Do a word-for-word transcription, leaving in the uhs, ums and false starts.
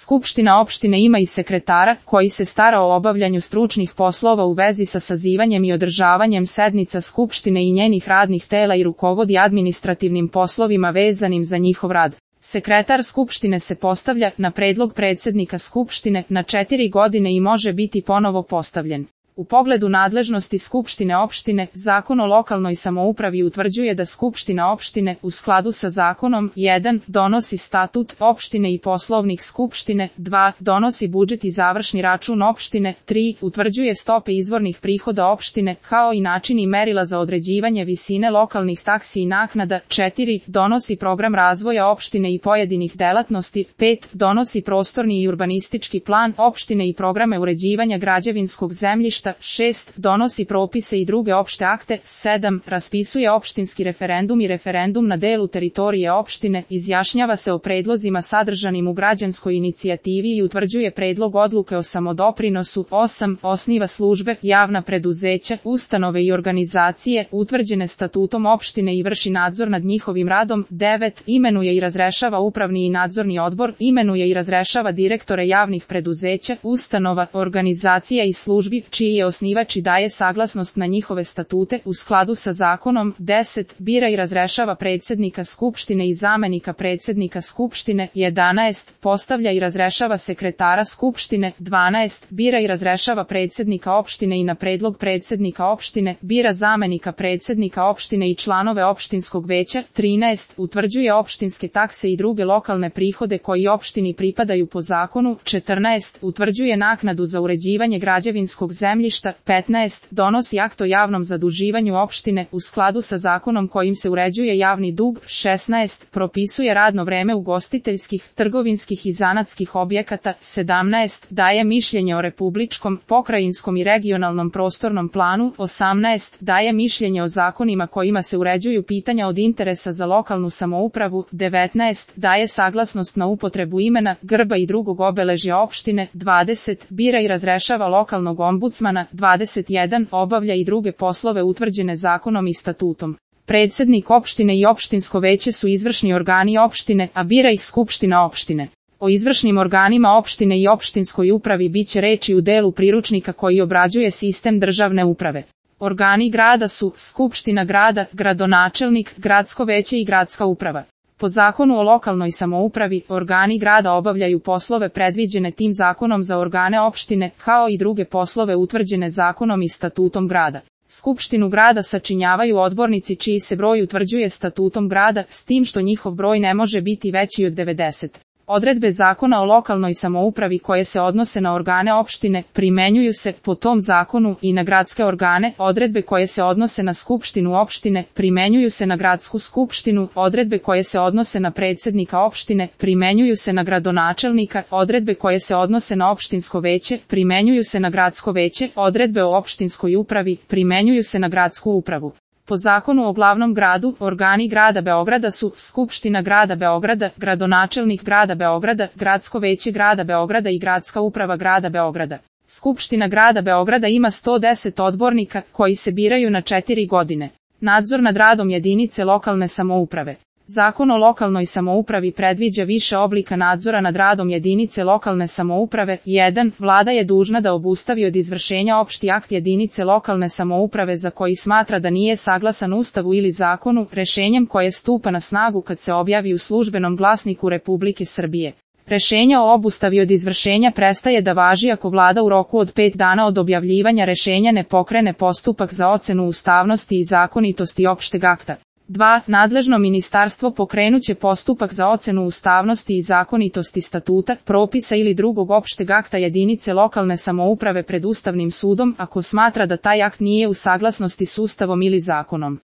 Skupština opštine ima i sekretara, koji se stara o obavljanju stručnih poslova u vezi sa sazivanjem i održavanjem sednica Skupštine i njenih radnih tela i rukovodi administrativnim poslovima vezanim za njihov rad. Sekretar Skupštine se postavlja, na predlog predsednika Skupštine, na četiri godine i može biti ponovo postavljen. U pogledu nadležnosti Skupštine opštine, Zakon o lokalnoj samoupravi utvrđuje da Skupština opštine, u skladu sa zakonom, jedan donosi statut opštine i poslovnik Skupštine, dva donosi budžet i završni račun opštine, tri utvrđuje stope izvornih prihoda opštine, kao i način i merila za određivanje visine lokalnih taksi i naknada, četiri donosi program razvoja opštine i pojedinih delatnosti, pet donosi prostorni i urbanistički plan opštine i programe uređivanja građevinskog zemljišta, šest donosi propise i druge opšte akte, sedam raspisuje opštinski referendum i referendum na delu teritorije opštine, izjašnjava se o predlozima sadržanim u građanskoj inicijativi i utvrđuje predlog odluke o samodoprinosu, osam osniva službe, javna preduzeća, ustanove i organizacije utvrđene statutom opštine i vrši nadzor nad njihovim radom, devet imenuje i razrešava upravni i nadzorni odbor, imenuje i razrešava direktore javnih preduzeća, ustanova, organizacija i službi čiji je osnivač i daje saglasnost na njihove statute u skladu sa zakonom, deset bira i razrešava predsednika Skupštine i zamenika predsednika Skupštine, jedanaest postavlja i razrešava sekretara Skupštine, dvanaest bira i razrešava predsednika opštine i na predlog predsednika opštine bira zamenika predsednika opštine i članove opštinskog veća, trinaest utvrđuje opštinske takse i druge lokalne prihode koji opštini pripadaju po zakonu, četrnaest utvrđuje naknadu za uređivanje građevinskog zemljišta, petnaest donosi akt o javnom zaduživanju opštine u skladu sa zakonom kojim se uređuje javni dug, šesnaest propisuje radno vreme ugostiteljskih, trgovinskih i zanatskih objekata, sedamnaest daje mišljenje o republičkom, pokrajinskom i regionalnom prostornom planu, osamnaest daje mišljenje o zakonima kojima se uređuju pitanja od interesa za lokalnu samoupravu, devetnaest daje saglasnost na upotrebu imena, grba i drugog obeležja opštine, dvadeset bira i razrešava lokalnog ombudsmana, dvadeset jedan obavlja i druge poslove utvrđene zakonom i statutom. Predsednik opštine i opštinsko veće su izvršni organi opštine, a bira ih Skupština opštine. O izvršnim organima opštine i opštinskoj upravi biće reči u delu priručnika koji obrađuje sistem državne uprave. Organi grada su Skupština grada, gradonačelnik, gradsko veće i gradska uprava. Po zakonu o lokalnoj samoupravi, organi grada obavljaju poslove predviđene tim zakonom za organe opštine, kao i druge poslove utvrđene zakonom i statutom grada. Skupštinu grada sačinjavaju odbornici čiji se broj utvrđuje statutom grada, s tim što njihov broj ne može biti veći od devedeset. Odredbe zakona o lokalnoj samoupravi koje se odnose na organe opštine primenjuju se po tom zakonu i na gradske organe, odredbe koje se odnose na skupštinu opštine primenjuju se na gradsku skupštinu, odredbe koje se odnose na predsednika opštine primenjuju se na gradonačelnika, odredbe koje se odnose na opštinsko veće primenjuju se na gradsko veće, odredbe o opštinskoj upravi primenjuju se na gradsku upravu. Po zakonu o glavnom gradu, organi grada Beograda su Skupština grada Beograda, gradonačelnik grada Beograda, gradsko veće grada Beograda i gradska uprava grada Beograda. Skupština grada Beograda ima sto deset odbornika koji se biraju na četiri godine. Nadzor nad radom jedinice lokalne samouprave. Zakon o lokalnoj samoupravi predviđa više oblika nadzora nad radom jedinice lokalne samouprave. jedan Vlada je dužna da obustavi od izvršenja opšti akt jedinice lokalne samouprave za koji smatra da nije saglasan Ustavu ili zakonu, rešenjem koje stupa na snagu kad se objavi u Službenom glasniku Republike Srbije. Rešenje o obustavi od izvršenja prestaje da važi ako Vlada u roku od pet dana od objavljivanja rešenja ne pokrene postupak za ocenu ustavnosti i zakonitosti opšteg akta. dva Nadležno ministarstvo pokrenuće postupak za ocenu ustavnosti i zakonitosti statuta, propisa ili drugog opšteg akta jedinice lokalne samouprave pred Ustavnim sudom ako smatra da taj akt nije u saglasnosti s Ustavom ili zakonom.